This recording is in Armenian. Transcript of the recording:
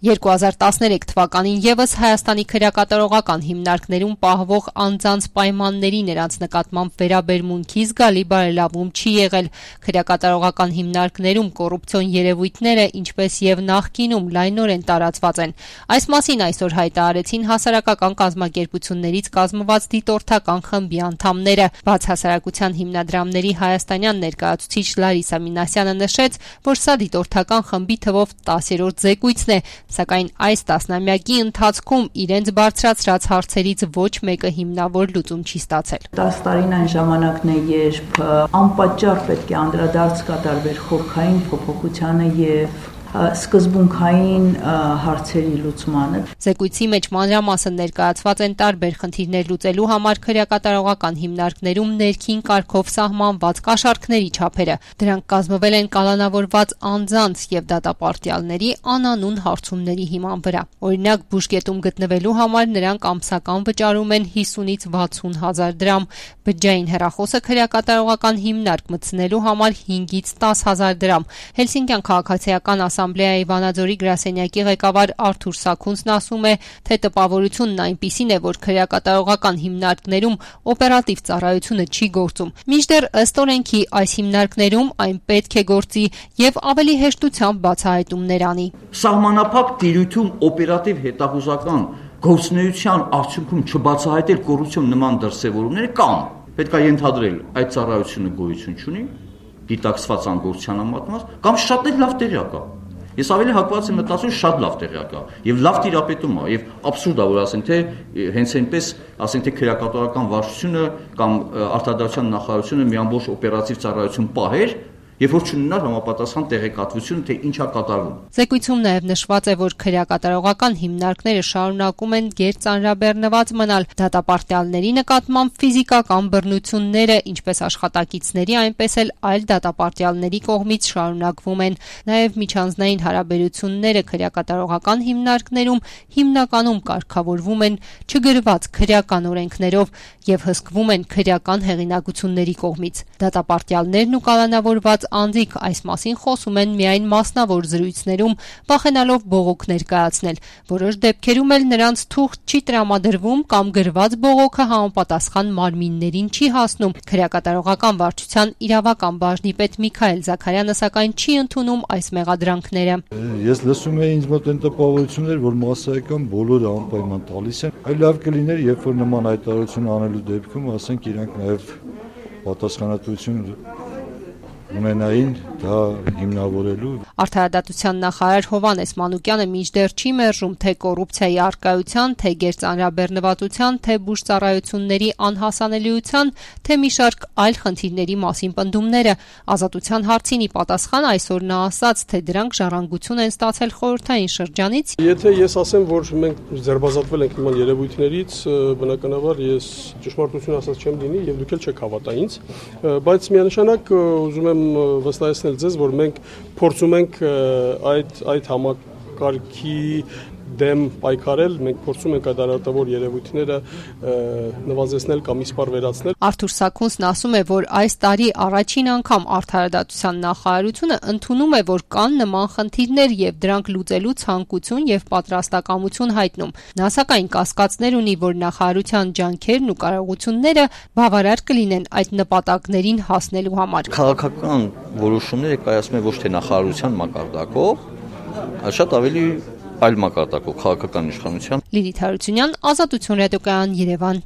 2013 թվականին ևս Հայաստանի քրեակատարողական հիմնարկներում պահվող անձանց պայմանների նրանց նկատմամբ վերաբերմունքի զգալի բարելավում չի եղել։ Քրեակատարողական հիմնարկներում կոռուպցիոն երևույթները, ինչպես եւ նախկինում, լայնորեն տարածված են։ Այս մասին այսօր հայտարարեցին հասարակական կազմակերպություններից կազմված դիտորդական խմբի անդամները։ Բաց հասարակության հիմնադրամների հայաստանյան ներկայացուցիչ Լարիսա Մինասյանը նշեց, որ սա դիտորդական խմբի թվով 10-րդ զեկույցն է, սակայն այս տասնամյակի ընթացքում իրենց բարձրացրած հարցերից ոչ մեկը հիմնավոր լուծում չի ստացել։ 10 տարին այն ժամանակն է, երբ անպատճառ պետք է անդրադարձ կատարվեր խորքային փոփոխությանը եւ սկզբունքային հարցերի լուծմանը։ Զեկույցի մեջ մանրամասն ներկայացված են տարբեր խնդիրներ լուծելու համար քրեակատարողական հիմնարկներում ներքին կարգով սահմանված կաշառքների չափերը։ Դրանք կազմվել են կալանավորված անձանց եւ դատապարտյալների անանուն հարցումների հիման վրա։ Օրինակ, բուժկետում գտնվելու համար նրանք ամսական վճարում են 50-ից 60 հազար դրամ, բջջային հեռախոսը քրեակատարողական հիմնարկ մտցնելու համար 5-ից 10 հազար դրամ։ Հելսինկյան քաղաքացիական ասամբլեայի Վանաձորի գրասենյակի ղեկավար Արթուր Սաքունցն ասում է, թե տպավորությունն այնպիսին է, որ քրեակատարողական հիմնարկներում օպերատիվ ծառայությունը չի գործում։ Մինչդեռ ըստ օրենքի այս հիմնարկներում այն պետք է գործի եւ ավելի հեշտությամբ բացահայտումներ անի։ Սահմանափակ տիրույթում օպերատիվ հետախուզական գործունեության արդյունքում չբացահայտել կոռուպցիոն նման դրսևորումները կան։ Պետք է ենթադրել այդ ծառայությունը գոյություն չունի, դիտակցված անգործության համեմատ, կամ շատ լավ տեղյակ է։ Ես ավելի հակված եմ մտածում շատ լավ տեղյակ է եւ լավ տիրապետում է եւ աբսուրդ է որ ասենք թե հենց այնպես ասենք թե քրեակատարողական վարչությունը կամ արտադրության նախարարությունը մի ամբողջ օպերատիվ ծառայություն պահեր Եվ որ չունենար համապատասխան տեղեկատվություն, թե ինչ է կատարվում։ Զեկույցում նաև նշված է, որ քրեակատարողական հիմնարկները շարունակում են գերծանրաբեռնված մնալ դատապարտյալների նկատմամբ ֆիզիկական բռնությունները, ինչպես աշխատակիցների, այնպես էլ այլ դատապարտյալների կողմից շարունակվում են։ Նաև միջանձնային հարաբերությունները քրեակատարողական հիմնարկներում հիմնականում կարգավորվում են չգրված քրեական օրենքներով եւ հսկվում են քրեական հեղինակությունների կողմից։ Դատապարտյալներն ու կալանավորված անձիկ այս մասին խոսում են միայն մասնավոր զրույցներում, վախենալով բողոք ներկայացնել։ Որոշ դեպքերում էլ նրանց թուղթ չի տրամադրվում կամ գրված բողոքը համապատասխան մարմիններին չի հասնում։ Քրեակատարողական վարչության իրավական բաժնի պետ Միքայել Զաքարյանը սակայն չի ընդունում այս մեղադրանքները։ Ես լսում եմ ինձ մոտ այն տպավորություններ, որ մասսայական բոլորը անպայման տալիս են։ Այլ լավ կլիներ, երբ որ նման հայտարարություն անելու դեպքում, ասենք իրանք նաև պատասխանատվություն ունենային դա հիմնավորելու։ Արդարադատության նախարար Հովհաննես Մանուկյանը մինչդեռ չի մերժում թե կոռուպցիայի առկայության, թե գերծանրաբեռնվածության, թե բուժծառայությունների անհասանելիության, թե մի շարք այլ խնդիրների մասին պնդումները։ Ազատության հարցին ի պատասխան այսօր նա ասաց, թե դրանք ժառանգություն են ստացել խորհրդային շրջանից։ Եթե ես ասեմ, որ մենք ձերբազատվել ենք նման երևույթներից, բնականաբար ես ճշմարտություն ասած չեմ լինի եւ դուք էլ չեք հավատա ինձ, բայց միանշանակ ուզում եմ վստահեցնել ձեզ, որ մենք փորձում ենք այդ համակարգի դեմ պայքարել, մենք փորձում ենք այդ արատավոր երևույթները նվազեցնել կամ իսպառ վերացնել։ Արթուր Սաքունցն ասում է, որ այս տարի առաջին անգամ Արդարադատության նախարարությունը ընդունում է, որ կան նման խնդիրներ եւ դրանք լուծելու ցանկություն եւ պատրաստակամություն հայտնում։ Նա սակայն կասկածներ ունի, որ նախարարության ջանքերն ու կարողությունները բավարար կլինեն այդ նպատակներին հասնելու համար։ Քաղաքական որոշումները կայացում են ոչ թե նախարարության մակարդակով, այլ շատ ավելի այլ մակարդակով քաղաքական իշխանության։ Լիլիթ Հարությունյան, Ազատություն ռադիոկայան, Երևան։